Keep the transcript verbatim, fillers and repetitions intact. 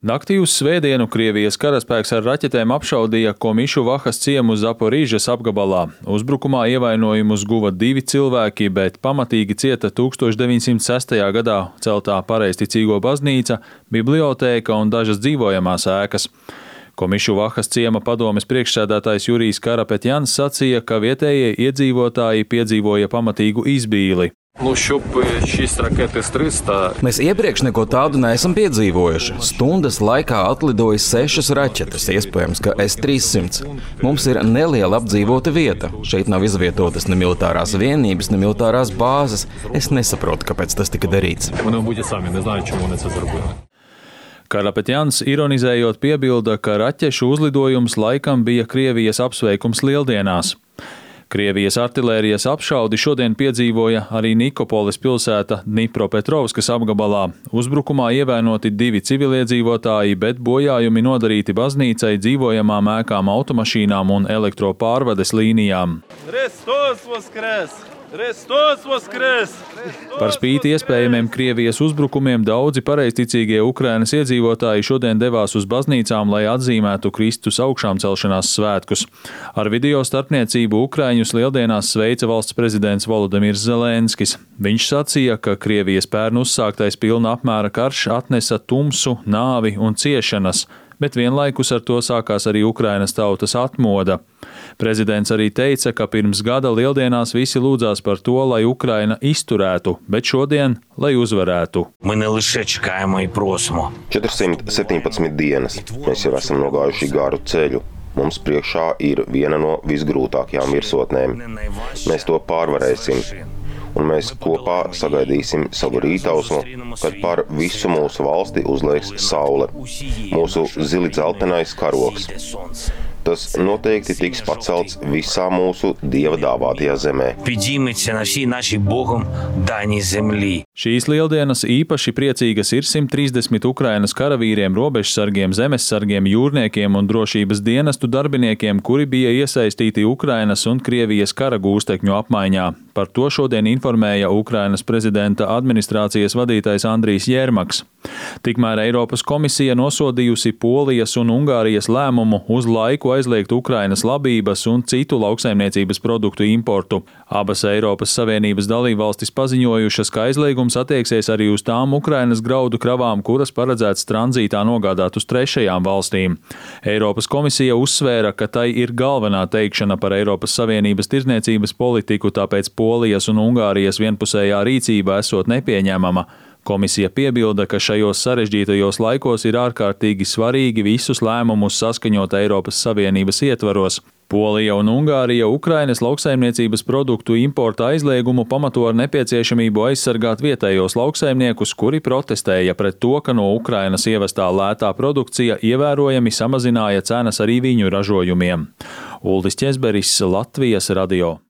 Naktī uz svētdienu Krievijas karaspēks ar raķetēm apšaudīja Komišu Vahas ciemu Zaporīžas apgabalā. Uzbrukumā ievainojumus guva divi cilvēki, bet pamatīgi cieta tūkstoš deviņsimt sestajā gadā celtā pareizticīgo baznīca, bibliotēka un dažas dzīvojamās ēkas. Komišu Vahas ciema padomes priekšsēdētājs Jurijs Karapetjans sacīja, ka vietējie iedzīvotāji piedzīvoja pamatīgu izbīli. Mēs iepriekš neko tādu neesam piedzīvojuši. Stundas laikā atlidoja sešas raķetes, iespējams, ka S trīssimt. Mums ir neliela apdzīvota vieta. Šeit nav izvietotas ne militārās vienības, ne militārās bāzes. Es nesaprotu, kāpēc tas tika darīts. Karapetjans ironizējot piebilda, ka raķešu uzlidojums laikam bija Krievijas apsveikums Lieldienās. Krievijas artilērijas apšaudi šodien piedzīvoja arī Nikopolis pilsēta Dnipropetrovskas apgabalā. Uzbrukumā ievainoti divi civiliedzīvotāji, bet bojājumi nodarīti baznīcai, dzīvojamām ēkām, automašīnām un elektropārvades līnijām. Hristos voskres! Hristos voskres! Par spīti iespējamiem Krievijas uzbrukumiem daudzi pareizticīgie Ukrainas iedzīvotāji šodien devās uz baznīcām, lai atzīmētu Kristus augšām celšanās svētkus. Ar video starpniecību Ukraiņus Lieldienās sveica valsts prezidents Volodimirs Zelenskis. Viņš sacīja, ka Krievijas pērn uzsāktais pilna apmēra karš atnesa tumsu, nāvi un ciešanas, bet vienlaikus ar to sākās arī Ukrainas tautas atmoda. Prezidents arī teica, ka pirms gada Lieldienās visi lūdzās par to, lai Ukraina izturētu, bet šodien, lai uzvarētu. četrsimt septiņpadsmit dienas. Mēs jau esam nogājuši garu ceļu. Mums priekšā ir viena no visgrūtākajām virsotnēm. Mēs to pārvarēsim. Un mēs kopā sagaidīsim savu rītausmu, kad par visu mūsu valsti uzliegs saule. Mūsu zili dzeltenais karogs. Tas noteikti tiks pacelts visā mūsu Dieva dāvātajā zemē. Šīs Lieldienas īpaši priecīgas ir simt trīsdesmit Ukrainas karavīriem, robežsargiem, zemessargiem, jūrniekiem un drošības dienestu darbiniekiem, kuri bija iesaistīti Ukrainas un Krievijas kara gūstekņu apmaiņā. Par to šodien informēja Ukrainas prezidenta administrācijas vadītājs Andrijs Jermaks. Tikmēr Eiropas komisija nosodījusi Polijas un Ungārijas lēmumu uz laiku aizliegt Ukrainas labības un citu lauksaimniecības produktu importu. Abas Eiropas Savienības dalībvalstis paziņojušas, ka aizliegums attieksies arī uz tām Ukrainas graudu kravām, kuras paredzēts tranzītā nogādāt uz trešajām valstīm. Eiropas komisija uzsvēra, ka tai ir galvenā teikšana par Eiropas Savienības tirdzniecības politiku, tāpēc Polijas un Ungārijas vienpusējā rīcība esot nepieņemama. Komisija piebilda, ka šajos sarežģītajos laikos ir ārkārtīgi svarīgi visus lēmumus saskaņot Eiropas Savienības ietvaros. Polija un Ungārija Ukrainas lauksaimniecības produktu importa aizliegumu pamato ar nepieciešamību aizsargāt vietējos lauksaimniekus, kuri protestēja pret to, ka no Ukrainas ievestā lētā produkcija ievērojami samazināja cenas arī viņu ražojumiem. Uldis Ķezberis, Latvijas radio.